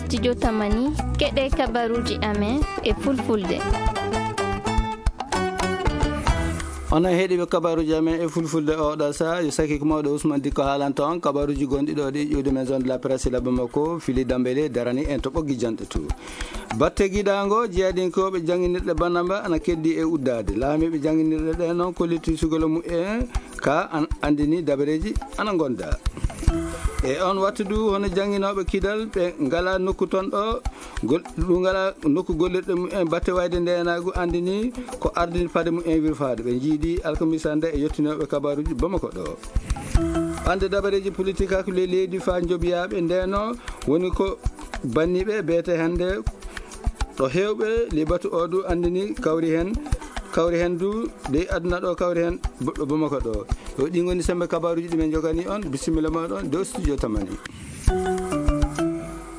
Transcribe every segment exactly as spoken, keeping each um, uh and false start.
Studio Tamani, keɗe kabaruji amen e fulfulde. Onon heɗiiɓe kabaruji amen e fulfulde oɗo sa, yo saki ko mawɗo Ousmane Dikko haalanta on kabaruji gonɗi ɗo ɗi ƴuwde maison de la presse la Bamako, Fili Dambele darani en to ɓoggi janɗe to. Batte giɗango jeeyadinkooɓe jannginirɗe Banamba ana keddi e uddaade. Laamiiɓe jannginirɗe ɗe noon kolliti sugol mum en ka an-, anndini dabareeji ana ngonda. E on wattu du hono jannginooɓe Kidal ɓe ngala nokku toon ɗo, gol-, ɗum ngala nokku gollirɗe mum en batte wayde ndeenaagu anndini ko ardini paɗe mum en wirfaade. Ɓe njiidi alkamisa nde e yottinooɓe kabaruji Bamako ɗo. Ande dabareeji politik hakkunde leydi faa njobiyaaɓe ndeno woni ko banniiɓe beete hannde ɗo heewɓe libatu o du anndini kawri heen, kawri heen du dey aduna ɗo kawri heen bo-, ɗo Bamako ɗo. Yo ɗi ngoni sembe kabaruji ɗi men jogani on. Bisimilla mooɗon dow studio Tamani.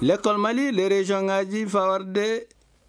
Lekkol Mali, les régions ngaji faa warde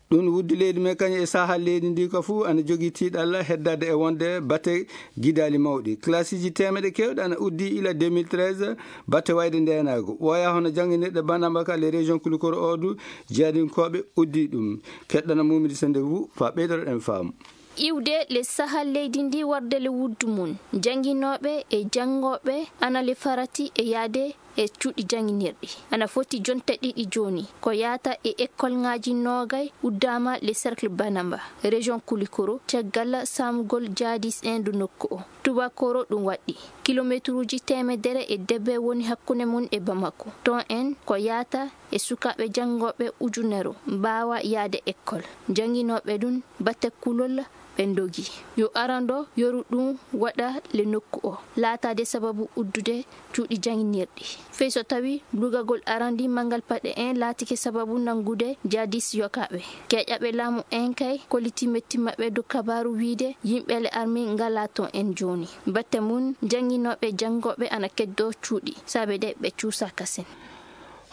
ɗum wuddi leydi men kañum e sahal leydi ndi ko fuu ana jogii tiiɗalla heddaade e wonde batte gidaali mawɗi. Classiji teemeɗe keewɗe ana uddi ila deux mille treize, batte wayde ndeenaagu. Ɓooya hono jannginirɗe Banamba ka les régions Koulikoro o du, jeeyadinkooɓe uddi ɗum. Keɗɗana Mumidi Sendefou faa ɓeydoreɗen faamu. Iwde le sahal leydi ndi warde le wuddu mum. Jannginooɓe e janngooɓe ana le farati e yaade e cuuɗi jannginirɗi. Ana foti jonte ɗiɗi jooni. Ko yaata e ekkolŋaaji noogay uddaama le cercle Banamba, région Koulikoro, caggal saamugol jihadis en du nokku o. Tubakoro ɗum waɗɗi. Kilomeetruuji teemedere e debe woni hakkunde mum e Bamako. Toon en ko yaata e sukaaɓe janngooɓe ujunero mbaawa yaade ekkol. Jannginooɓe ɗum batte kulol ɓe ndogi. Yo arando yoru ɗum waɗa le nokku o. Laataade sababu uddude cuuɗi jannginirɗi. Fey so tawi lugagol arandi manngal paɗe en laatike sababu nanngude jihadis yokaaɓe. Keeƴaɓe laamu en kay kolliti metti maɓɓe dow kabaaru wiide yimɓe le armi ngala toon en jooni. Batte mum jannginooɓe janngooɓe ana keddoo cuuɗi. Saabe de ɓe cuusaa kasen.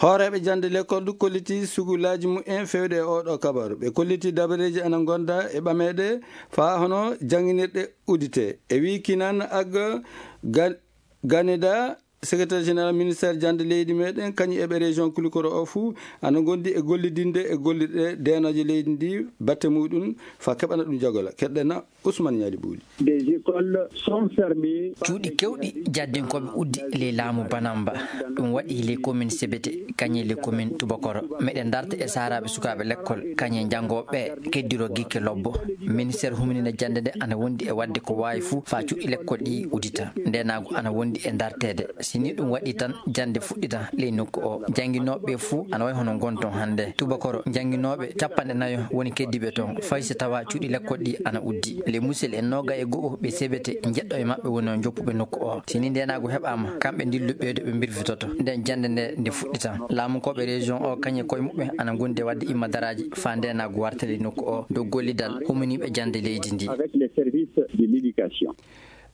Hooreeɓe jannde lekkol du kolliti sugulaaji mum en fewde e oɗo kabaru. Ɓe kolliti dabareeji ana ngonda e ɓameede faa hono jannginirɗe udite. E wii Kinan Agga Ga-, Ganeda, secrétaire général ministère jannde leydi meɗen, kañum e ɓe région Koulikoro o fuu ana ngondi e gollidinde e gollirɗe deenooje leydi ndi batte muɗum faa keɓana ɗum jagola. Keɗɗena Ousmane Ñaali Ɓuuli. Des écoles sont fermées. Cuuɗi keewɗi jaddinkooɓe uddi ley laamu Banamba. Ɗum waɗi ley commune Sebete, kañum e ley commune Tubakoro. Meɗen darta e saaraaɓe sukaaɓe lekkol, kañum e janngooɓe ɓe keddiro gikke lobbo. Ministère huminina jannde nde ana wondi e waɗde ko waawi fuu faa cuuɗi lekkol ɗi udita. Ndeenaagu ana wondi e darteede. Si ni ɗum waɗi tan, jannde fuɗɗita ley nokku o. Jannginooɓe ɓe fuu ana wayi hono ngon toon hannde. Tubakoro, jannginooɓe capanɗe nayo woni keddiiɓe toon. Fay si tawaa cuuɗi lekkol ɗi ana uddi. Le musel en nooga e go'o ɓe Sebete, jeɗɗo e maɓɓe woni on joppuɓe nokku o. Si ni ndeenaagu heɓaama, kamɓe ndillu ɓeydo ɓe mbirfitoto. Nden jannde nde, nde fuɗɗita. Laamunkooɓe région o, kañum e koye muɓɓen ana ngondi e waɗde imma daraaji faa ndeenaagu warta ley nokku o. Dow gollidal huminiiɓe jannde leydi ndi. Avec les services de l'éducation.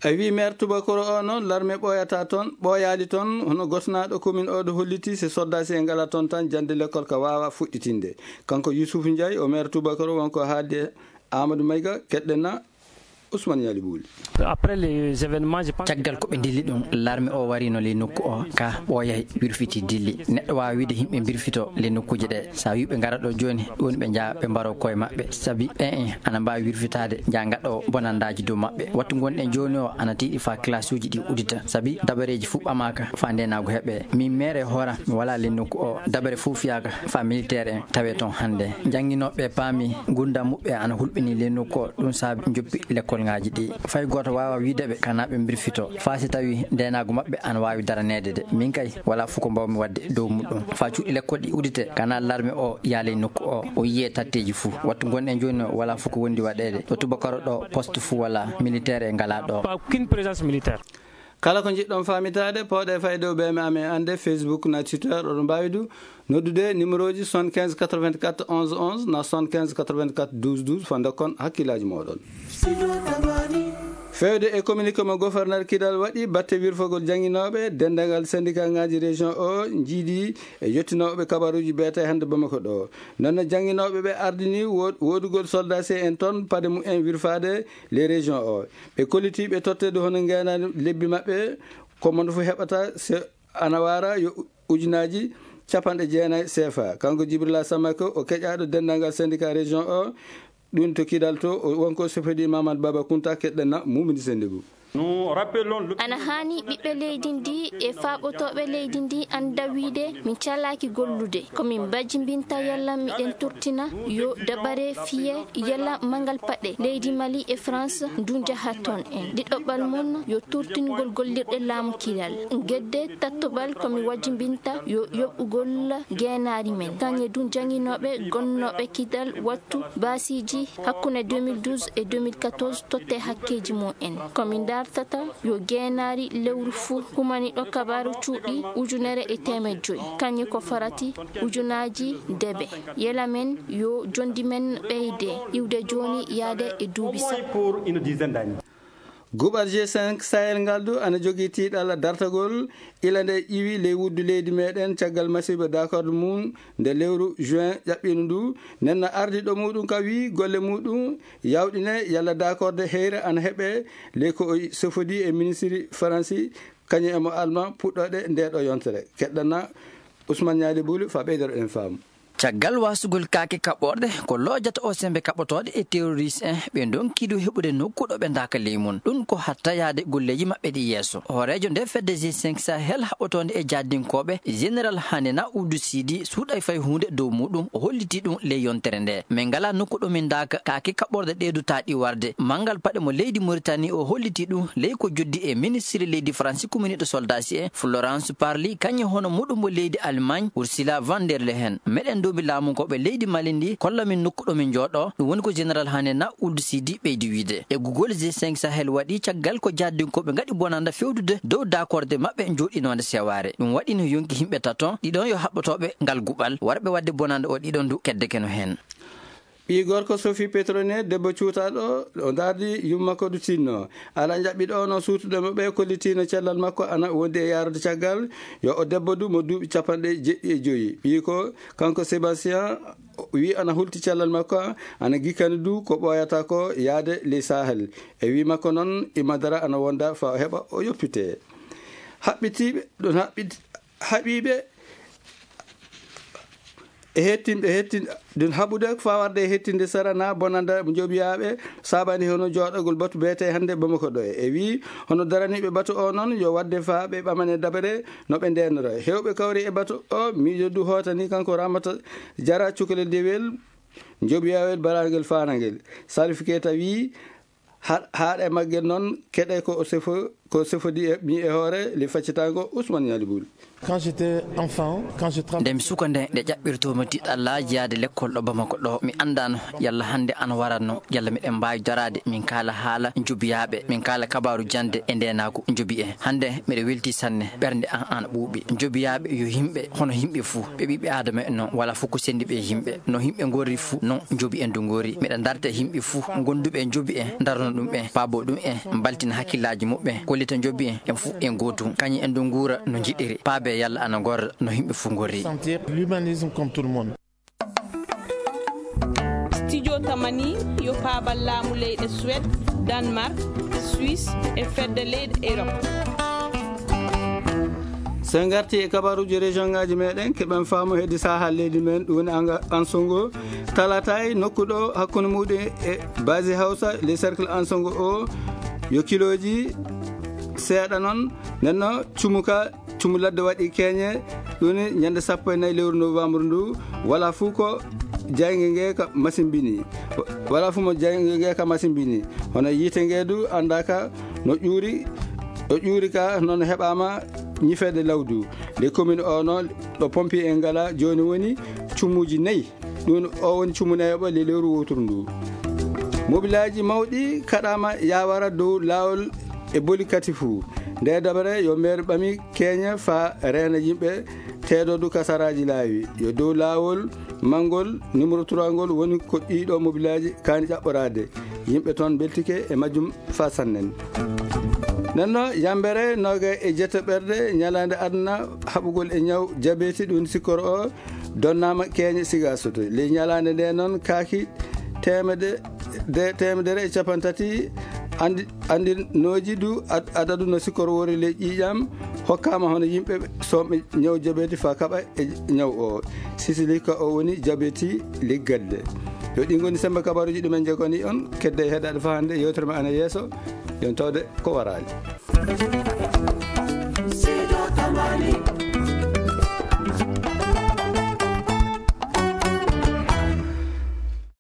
A wii maire Tubakoro o noon, larme ɓooyataa toon, ɓooyaali toon, hono gosnaaɗo commune o ɗo holliti, si soddaasi en ngala toon tan, jannde lekkol ka waawa fuɗɗitinde. Kanko Youssouf Ndiaye, o maire Tubakoro, wonko haaldi e Amadou Mayga, keɗɗena Ousmane Ñaali Ɓuuli. Après les événements, je pense. Caggal ko ɓe ndilli ɗum, larme o warino ley nokku o, ka ɓooyay wirfiti dilli. Neɗɗo waawa wiide yimɓe mbirfito ley nokkuuje ɗe. Sa wi ɓe ngara ɗo jooni, ɗum woni ɓe njaha ɓe mbaro koye maɓɓe. Sabi ɓen en ana mbaawi wirfitaade, njaha ngaɗo bonandaaji dow maɓɓe. Wattu ngonɗen jooni o ana tiiɗi faa classe uji ɗi udita. Sabi dabareeji fuu ɓamaaka faa ndeenaagu heɓe. Min maire e hoora mi walaa ley nokku o. Dabare fuu fiyaaka faa militaire en tawe toon hannde. Jannginooɓe paami ngurndan muɓɓe ana hulɓini ley nokku o. Ɗum saabi njoppi lekkol ngaaji ɗi. Fay gooto waawa wiide ɓe kana ɓe mbirfito. Faa si tawi ndeenaagu maɓɓe ana waawi daraneede de. Min kay, walaa fuu ko mbaawmi waɗde dow muɗum. Faa cuuɗi lekkol ɗi udite, kana larme o yaaley nokku o, o yiyee tatteeji fuu. Wattu ngonɗen jooni o, walaa fuu ko wondi waɗeede. Ɗo Tubakoro ɗo, poste fuu walaa, militaire e ngalaa ɗo. Pas aucune présence militaire. Kala ko njiɗɗon faamitaade, pooɗe fay dow ɓeeme amen annde, Facebook na Twitter, oɗon mbaawi du noddude numéroji soixante-quinze quatre-vingt-quatre onze onze na soixante-quinze quatre-vingt-quatre douze douze, faa ndokkon hakkillaaji mooɗon. Feewde e communiqué mo gouverneur Kidal waɗi batte wirfagol jannginooɓe, denndaangal syndicat ngaaji région o njiidi e yottinooɓe kabaruuji beete hannde Bamako ɗo. Noon ne jannginooɓe ɓe ardini wo-, woodugol soldat C N toon, paɗe mum en wirfaade les régions o. Ɓe kolliti ɓe totteede hono ngeenaani lebbi maɓɓe, ko mo fof heɓata se ana waara yo ujunaaji Capanɗe jeenayi sefa. Kanko Jibrila Samako, o keƴaaɗo denndaangal syndicat région o, ɗum to Kidal to, o wonko sefodi Mamad Baba Kunta, keɗɗen na Mumini Sendigu. Nous rappelons le Ana haani ɓiɓɓe leydi ndi e faaɓotooɓe leydi ndi annda wiide min calaaki gollude. Ko min mbajimbinta yalla miɗen turtina yo dabare fiye yalla mangal paɗe leydi Mali e France ndu njaha toon en. Ɗiɗoɓal mon yo turtingol gollirɗe laamu Kidal. Gedde tattobal ko mi wajimbinta yo yoɓugol geenaari men. Kañe du jaŋinooɓe gonnooɓe Kidal wattu baasiiji hakkunde deux mille douze e deux mille quatorze totte hakkeeji mum en. Ko mi dartata yo geenaari lewru fuu humaniɗo kabaaru cuuɗi ujunere e teemeɗɗe joyi. Kañe ko farati ujunaaji debe. Yela men yo jondi men ɓeyde iwde jooni yaade e duuɓi sappo. Pour une dizaine d'années. Guɓal G cinq Sahel ngal du ana jogii tiiɗalla dartagol ila nde iwi ley wuddu leydi meɗen caggal masiiba d'accord mum nde lewru juin ƴaɓɓiino ndu. Nenno ardiɗo muɗum ka wi golle muɗum yawɗine yalla d'accord heyre ana heɓe ley ko o sofodi e ministiri Faransi kañum e mo Alma puɗɗoɗe nde ɗo yontere. Keɗɗana Ousmane Ñaali Bulu fa ɓeydoro en faamu. Caggal wasugol kaake kaɓɓorɗe, ko lojata o sembe kaɓɓotooɗe e terroriste en, ɓe ndonki du heɓude nokku ɗo ɓe ndaka ley mum. Ɗum ko hatta yaade golleeji maɓɓe ɗi yeeso. Hooreejo nde fedde G cinq Sahel haɓɓotoonde e jaaddinkoɓe, Général Hanena Ould Sidi, suuɗay fay huunde dow muɗum, o holliti ɗum ley yontere nde. Min ngala nokku ɗo min ndaka kaake kaɓɓorɗe ɗe du taaɗi warde. Mangal paɗe mo leydi Mauritanie o holliti ɗum ley ko joddi e ministiri leydi Faransi kuminiɗo soldasi en, Florence Parly, kañum hono muɗum mo leydi Allemagne, Ursula von der Leyen. Meɗen nduubi laamu ko ɓe leydi Mali ndi, kolla min nokku ɗo min jooɗo. Ɗum woni ko Général Hanena Ould Sidi ɓeydi wiide. E gugol G cinq Sahel waɗi caggal ko jaaddinkoɓe ngaɗi bonanda fewdude dow dakorde maɓɓe jooɗinonde sewaare. Ɗum waɗi no yonki yimɓe tato, ɗiɗon yo haɓɓotoɓe ngal guɓal, warɓe wadde bonanda o ɗiɗon du kedde keno hen. Ɓii gorko Sophie Petronet, debbo cuutaaɗo, o dardi yumma ko du tinno. Ala jaɓɓiɗo o no suutuɗo mo ɓe kollitino cellal makko ana wondi e yaarude caggal. Yo o debbo du mo duuɓi capanɗe jeɗɗi e joyi. Ɓii ko kanko Sébastien wi ana hulti cellal makko, ana gikkani du ko ɓooyata ko yaade ley Sahel. E wi makko noon, Imadara ana wonda fa o heɓa o yoppite. Haɓɓitiiɓe, ɗon haɓɓit-, haɓiiɓe, e hettin-, e hettin-, ɗum haɓude ko fawarde e hettinde sara na bonanda joɓiyaaɓe saabani hono jooɗagol batu beete hannde Bamako ɗo. E wi hono daraniiɓe batu o noon yo wadde fa ɓe ɓamane dabare no ɓe ndeenora. Hewɓe kawri e batu o, miijo du hootani kanko Ramata Jara cukalel dewel joɓiyawel barangel fanangel. Salif Keita wi ha-, haaɗe maggel noon keɗe ko o sefo-, ko sefodi e mi e hoore le faccitango Ousmane Ñaali Bul. Quand j'étais enfant, quand je tra- Nde mi suka nde, nde ƴaɓɓirtoomi tiɗɗallaaji yaade lekkol ɗo Bamako ɗo, mi anndaano yalla hannde ana waratno, yalla miɗen mbaawi daraade, min kaala haala njobiyaaɓe, min kaala kabaaru jannde e ndeenaagu njobi en. Hannde miɗo weltii sanne, ɓernde an ana ɓuuɓi. Njobiyaaɓe yo yimɓe, hono yimɓe fuu, ɓe ɓiɓɓe Aadama en non, wala fof ko senndi ɓe yimɓe. No yimɓe ngorri fuu, non njobi en du ngorri. Miɗo darta yimɓe fuu, gonduɓe njobi en, darno ɗum en, paabo ɗum en, mbaltina hakkillaaji muɓɓen, kollita njobi en, en fuu en gootum. Kañum en du nguura no njiɗiri. Paabe yalla ana ngorra no yimɓe fuu ngorri. Sentir l'humanisme comme tout le monde. Studio Tamani yo paabal laamu leyɗe Suède, Danemark, Suisse e fedde leyɗe Europe. So en ngarti e kabaruuji région ngaji meɗen, keɓen faamu heddi saha leydi men, ɗum woni anga-, Ansongo, Talatay, nokku ɗo hakkunde muɗum e Basi Hausa, le cercle Ansongo o, yo kiloji seeɗa noon, nenno cumuka, cumu ladde waɗi keñe, ɗum woni ñande sappo e nayi lewru novembre ndu, wala fuu ko jayge nge ka masimbini. Wala fuu mo jayge nge ka masimbini. Hono yiite nge du anndaka no ƴuuri, o ƴuuri ka noon heɓaama ñifeede lawdu. Le commune o noon ɗo pompier en ngala jooni woni cumuji nayi. Ɗum o woni cumu nayoɓo le lewru woturu ndu. Mobilaaji mawɗi kaɗaama yawara dow laawol e boli kati fuu. Nde dabare yo meer ɓami keña fa reena yimɓe teedodu kasaraaji laawi. Yo dow laawol manngol numéro trois ngol woni ko ɗiɗo mobilaaji kaani ƴaɓɓoraade. Yimɓe toon mbeltike e majjum fa sannen. Nenno yambere noga e jettaɓerde ñalaande aduna haɓugol e ñaw jabeti ɗum sikkoro o donnaama keeñe siga soto. Ley ñalaande nde noon kaaki teemede-, de-, teemedere e capantati Andi, andirnooji du ad-, adadu no sikkor woori ley ƴiiƴam hokkaama hono yimɓe soomɓe ñaw jabeeti faa kaɓa e ñaw o. Sisili ka o woni jabeeti leggal de. Yo ɗi ngoni sembe kabaruuji ɗumen njegani on, kedde e heɗaade faa hannde yewtere ma ana yeeso. Yon tawde ko waraali.